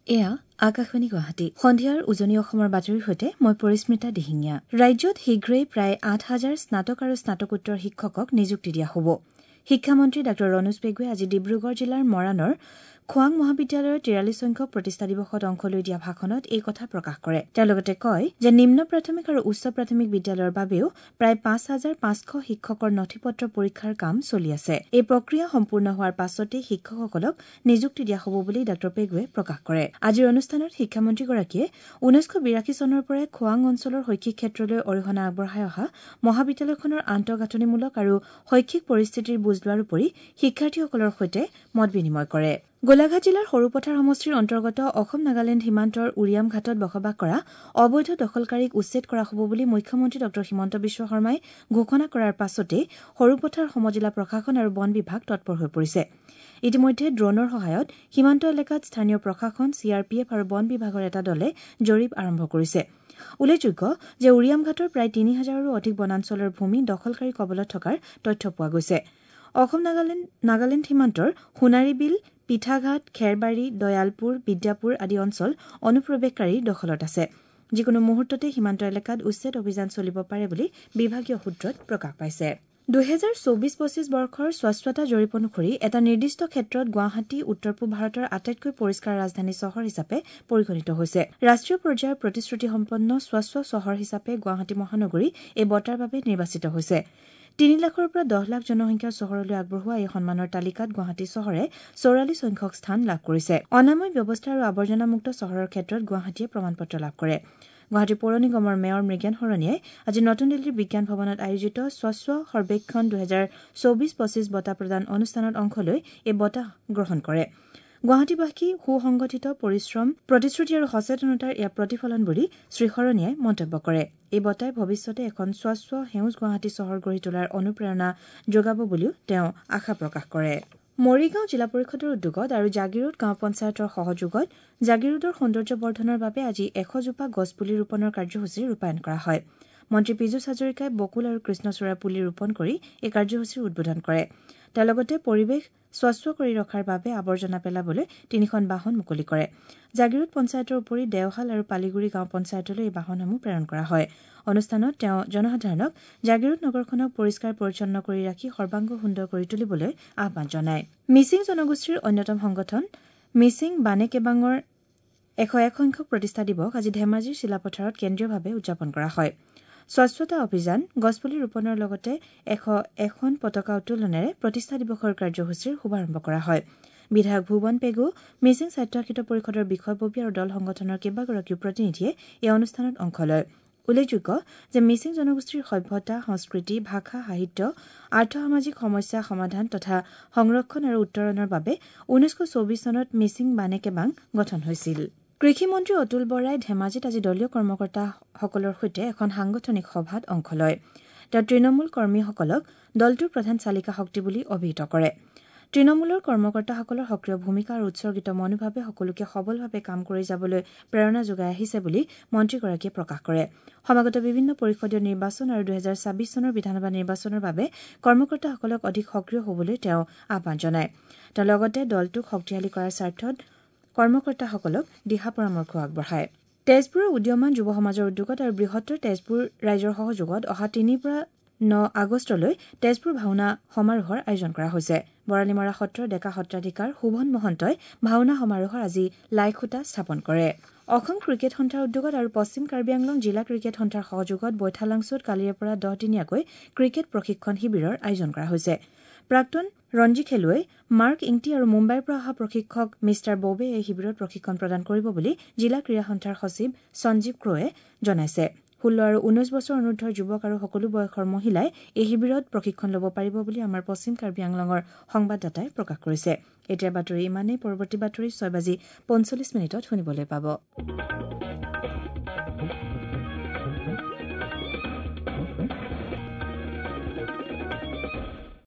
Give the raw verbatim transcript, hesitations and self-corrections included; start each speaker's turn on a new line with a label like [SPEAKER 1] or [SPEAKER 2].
[SPEAKER 1] এয়া আকাশবাণী গুৱাহাটী। সন্ধিয়াৰ উজনি অসমৰ বাতৰিৰ সৈতে মই পৰিস্মিতা দিহিঙীয়া। ৰাজ্যত শীঘ্ৰেই প্ৰায় আঠ হাজাৰ স্নাতক আৰু স্নাতকোত্তৰ শিক্ষকক নিযুক্তি দিয়া হ'ব। শিক্ষামন্ত্ৰী ডাঃ ৰণোজ পেগুৱে আজি ডিব্ৰুগড় জিলাৰ মৰাণৰ খোৱাং মহাবিদ্যালয়ৰ তিৰাল্লিছ সংখ্যক প্ৰতিষ্ঠা দিৱসত অংশ লৈ দিয়া ভাষণত এই কথা প্ৰকাশ কৰে। তেওঁ লগতে কয় যে নিম্ন প্ৰাথমিক আৰু উচ্চ প্ৰাথমিক বিদ্যালয়ৰ বাবেও প্ৰায় পাঁচ হাজাৰ পাঁচশ শিক্ষকৰ নথি-পত্ৰ পৰীক্ষাৰ কাম চলি আছে। এই প্ৰক্ৰিয়া সম্পূৰ্ণ হোৱাৰ পাছতেই শিক্ষকসকলক নিযুক্তি দিয়া হ'ব বুলি ডাঃ পেগুৱে প্ৰকাশ কৰে। আজিৰ অনুষ্ঠানত শিক্ষামন্ত্ৰীগৰাকীয়ে ঊনৈছশ বিৰাশী চনৰ পৰাই খোৱাং অঞ্চলৰ শৈক্ষিক ক্ষেত্ৰলৈ অৰিহণা আগবঢ়াই অহা মহাবিদ্যালয়খনৰ আন্তঃগাঁথনিমূলক আৰু শৈক্ষিক পৰিস্থিতিৰ বুজ লোৱাৰ উপৰি শিক্ষাৰ্থীসকলৰ সৈতে মত বিনিময় কৰে। গোলাঘাট জিলাৰ সৰুপথাৰ সমষ্টিৰ অন্তৰ্গত অসম নাগালেণ্ড সীমান্তৰ উৰিয়াম ঘাটত বসবাস কৰা অবৈধ দখলকাৰীক উচ্ছেদ কৰা হ'ব বুলি মুখ্যমন্ত্ৰী ডাঃ হিমন্ত বিশ্ব শৰ্মাই ঘোষণা কৰাৰ পাছতেই সৰুপথাৰ সমজিলা প্ৰশাসন আৰু বন বিভাগ তৎপৰ হৈ পৰিছে। ইতিমধ্যে ড্ৰোনৰ সহায়ত সীমান্ত এলেকাত স্থানীয় প্ৰশাসন, চি আৰ পি এফ আৰু বন বিভাগৰ এটা দলে জৰীপ আৰম্ভ কৰিছে। উল্লেখযোগ্য যে উৰিয়াম ঘাটৰ প্ৰায় তিনি হাজাৰৰো অধিক বনাঞ্চলৰ ভূমি দখলকাৰীৰ কবলত থকাৰ তথ্য পোৱা গৈছে। অসম নাগালেণ্ড নাগালেণ্ড সীমান্তৰ সোণাৰীবিল, পিঠাঘাট, খেৰবাৰী, দয়ালপুৰ, বিদ্যাপুৰ আদি অঞ্চল অনুপ্ৰৱেশকাৰীৰ দখলত আছে। যিকোনো মুহূৰ্ততে সীমান্ত এলেকাত উচ্ছেদ অভিযান চলিব পাৰে বুলি বিভাগীয় সূত্ৰত প্ৰকাশ পাইছে। দুহেজাৰ চৌবিশ পঁচিছ বৰ্ষৰ স্বচ্ছতা জৰীপ অনুসৰি এটা নিৰ্দিষ্ট ক্ষেত্ৰত গুৱাহাটী উত্তৰ পূব ভাৰতৰ আটাইতকৈ পৰিষ্কাৰ ৰাজধানী চহৰ হিচাপে পৰিগণিত হৈছে। ৰাষ্ট্ৰীয় পৰ্যায়ৰ প্ৰতিশ্ৰুতিসম্পন্ন স্বচ্ছ চহৰ হিচাপে গুৱাহাটী মহানগৰী এই বঁটাৰ বাবে নিৰ্বাচিত হৈছে। তিনি লাখৰ পৰা দহ লাখ জনসংখ্যাৰ চহৰলৈ আগবঢ়োৱা এই সন্মানৰ তালিকাত গুৱাহাটী চহৰে চৌৰাল্লিছ সংখ্যক স্থান লাভ কৰিছে। অনাময় ব্যৱস্থা আৰু আৱৰ্জনামুক্ত চহৰৰ ক্ষেত্ৰত গুৱাহাটীয়ে প্ৰমাণপত্ৰ লাভ কৰে। গুৱাহাটী পৌৰ নিগমৰ মেয়ৰ মৃগেন শৰণীয়াই আজি নতুন দিল্লীৰ বিজ্ঞান ভৱনত আয়োজিত স্বচ্ছ সৰ্বেক্ষণ দুহেজাৰ চৌবিশ পঁচিছ বঁটা প্ৰদান অনুষ্ঠানত অংশ লৈ এই বঁটা গ্ৰহণ কৰে। গুৱাহাটীবাসী সুসংগঠিত পৰিশ্ৰম, প্ৰতিশ্ৰুতি আৰু সচেতনতাৰ এয়া প্ৰতিফলন বুলি শ্ৰীশৰণীয়াই মন্তব্য কৰে। এই বঁটাই ভৱিষ্যতে এখন স্বচ্ছ সেউজ গুৱাহাটী চহৰ গঢ়ি তোলাৰ অনুপ্ৰেৰণা যোগাব বুলিও তেওঁ আশা প্ৰকাশ কৰে। মৰিগাঁও জিলা পৰিষদৰ উদ্যোগত আৰু জাগীৰোড গাঁও পঞ্চায়তৰ সহযোগত জাগীৰোডৰ সৌন্দৰ্য বৰ্ধনৰ বাবে আজি এশজোপা গছপুলি ৰোপণৰ কাৰ্যসূচী ৰূপায়ণ কৰা হয়। মন্ত্ৰী পীযুষ হাজৰিকাই বকুল আৰু কৃষ্ণচূড়াৰ পুলি ৰোপণ কৰি এই কাৰ্যসূচীৰ উদ্বোধন কৰে। তেওঁ লগতে পৰিৱেশ স্বচ্ছ কৰি ৰখাৰ বাবে আৱৰ্জনা পেলাবলৈ তিনিখন বাহন মুকলি কৰে। জাগীৰোড পঞ্চায়তৰ উপৰি দেওশাল আৰু পালিগুৰি গাঁও পঞ্চায়তলৈ এই বাহনসমূহ প্ৰেৰণ কৰা হয়। অনুষ্ঠানত তেওঁ জনসাধাৰণক জাগীৰোড নগৰখনক পৰিষ্কাৰ পৰিচ্ছন্ন কৰি ৰাখি সৰ্বাংগ সুন্দৰ কৰি তুলিবলৈ আহ্বান জনায়। মিচিং জনগোষ্ঠীৰ অন্যতম সংগঠন মিচিং বানে কেবাঙৰ এশ এক সংখ্যক প্ৰতিষ্ঠা দিৱস আজি ধেমাজিৰ চিলাপথাৰত কেন্দ্ৰীয়ভাৱে উদযাপন কৰা হয়। স্বচ্ছতা অভিযান, গছপুলি ৰোপণৰ লগতে এশ এখন পতাকা উত্তোলনেৰে প্ৰতিষ্ঠা দিৱসৰ কাৰ্যসূচীৰ শুভাৰম্ভ কৰা হয়। বিধায়ক ভুৱন পেগু, মিচিং স্বায়ত্তশাসিত পৰিষদৰ বিষয়ববীয়া আৰু দল সংগঠনৰ কেইবাগৰাকীও প্ৰতিনিধিয়ে এই অনুষ্ঠানত অংশ লয়। উল্লেখযোগ্য যে মিচিং জনগোষ্ঠীৰ সভ্যতা, সংস্কৃতি, ভাষা, সাহিত্য, আৰ্থসামাজিক সমস্যা সমাধান তথা সংৰক্ষণ আৰু উত্তৰণৰ বাবে ঊনৈছশ চৌবিশ চনত মিচিং বানে কেবাং গঠন হৈছিল। কৃষিমন্ত্ৰী অতুল বৰাই ধেমাজিত আজি দলীয় কৰ্মকৰ্তাসকলৰ সৈতে এখন সাংগঠনিক সভাত অংশ লয়। তেওঁ তৃণমূল কৰ্মীসকলক দলটোৰ প্ৰধান চালিকা শক্তি বুলি অভিহিত কৰে। তৃণমূলৰ কৰ্মকৰ্তাসকলৰ সক্ৰিয় ভূমিকা আৰু উৎসৰ্গিত মনোভাৱে সকলোকে সবলভাৱে কাম কৰি যাবলৈ প্ৰেৰণা যোগাই আহিছে বুলি মন্ত্ৰীগৰাকীয়ে প্ৰকাশ কৰে। সমাগত বিভিন্ন পৰিষদীয় নিৰ্বাচন আৰু দুহেজাৰ ছাব্বিছ চনৰ বিধানসভা নিৰ্বাচনৰ বাবে কৰ্মকৰ্তাসকলক অধিক সক্ৰিয় হ'বলৈ তেওঁ আহ্বান জনায়। তেওঁ লগতে দলটোক শক্তিশালী কৰাৰ স্বাৰ্থত কৰ্মকৰ্তাসকলক দিহা পৰামৰ্শ আগবঢ়ায়। তেজপুৰৰ উদীয়মান যুৱ সমাজৰ উদ্যোগত আৰু বৃহত্তৰ তেজপুৰ ৰাইজৰ সহযোগত অহা তিনিৰ পৰা ন আগষ্টলৈ তেজপুৰ ভাওনা সমাৰোহৰ আয়োজন কৰা হৈছে। বৰালিমৰা সত্ৰৰ ডেকা সত্ৰাধিকাৰ শোভন মহন্তই ভাওনা সমাৰোহৰ আজি লাইখুঁটা স্থাপন কৰে। অসম ক্ৰিকেট সন্থাৰ উদ্যোগত আৰু পশ্চিম কাৰ্বি আংলং জিলা ক্ৰিকেট সন্থাৰ সহযোগত বৈঠালাংছুত কালিৰে পৰা দহদিনীয়াকৈ ক্ৰিকেট প্ৰশিক্ষণ শিবিৰৰ আয়োজন কৰা হৈছে। প্ৰাক্তন ৰঞ্জী খেলুৱৈ মাৰ্ক ইংটি আৰু মুম্বাইৰ পৰা অহা প্ৰশিক্ষক মিষ্টাৰ ববে এই শিবিৰত প্ৰশিক্ষণ প্ৰদান কৰিব বুলি জিলা ক্ৰীড়া সন্থাৰ সচিব সঞ্জীৱ ক্ৰয়ে জনাইছে। ষোল্ল আৰু ঊনৈশ বছৰ অনুৰ্ধৰ যুৱক আৰু সকলো বয়সৰ মহিলাই এই শিবিৰত প্ৰশিক্ষণ ল'ব পাৰিব বুলি আমাৰ পশ্চিম কাৰ্বি আংলঙৰ সংবাদদাতাই প্ৰকাশ কৰিছে। এতিয়াৰ বাতৰি ইমানেই। পৰৱৰ্তী বাতৰি ছয় বাজি পঞ্চল্লিছ মিনিটত শুনিবলৈ পাব।